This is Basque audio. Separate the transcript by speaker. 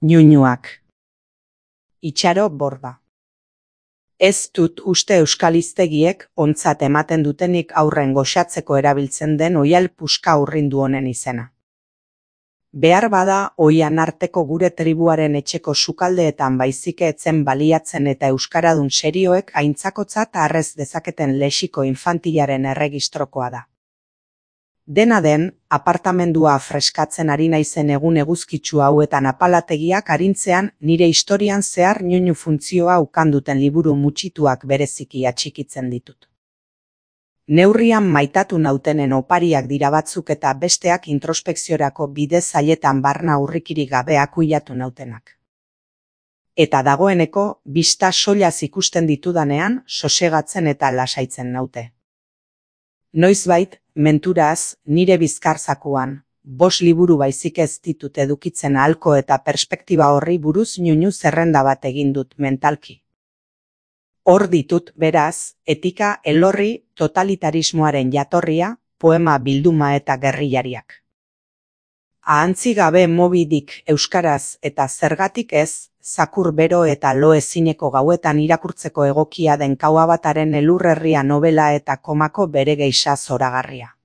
Speaker 1: Ñuñuak. Itxaro Borda. Ez dut uste euskal hiztegiek ontzat ematen dutenik aurren goxatzeko erabiltzen den oihal puska urrindu honen izena. Behar bada oihan arteko gure tribuaren etxeko sukaldeetan baizik etzen baliatzen eta euskaradun serioek aintzakotzat harrez dezaketen lexiko infantilaren erregistrokoa da. Dena den, apartamendua freskatzen ari naizen egun eguzkitsu hauetan apalategiak arintzean nire historian zehar ñuñu funtzioa ukanduten liburu mutxituak bereziki atxikitzen ditut. Neurrian maitatu nautenen opariak dira batzuk eta besteak introspekziorako bide zailetan barna urrikirik gabe akuilatu nautenak. Eta dagoeneko, bista soilaz ikusten ditudanean, sosegatzen eta lasaitzen naute. Noizbait, menturaz, nire bizkarzakuan, 5 liburu baizik ez ditut edukitzen ahalko eta perspektiba horri buruz ñuñu zerrenda bat egin dut mentalki. Hor ditut, beraz, etika, elorri, totalitarismoaren jatorria, poema bilduma eta gerrillariak. Ahantzi gabe Moby Dick euskaraz eta zergatik ez, zakur bero eta lo ezineko gauetan irakurtzeko egokia den Kauabataren elurrerria novela eta komako bere geisha zoragarria.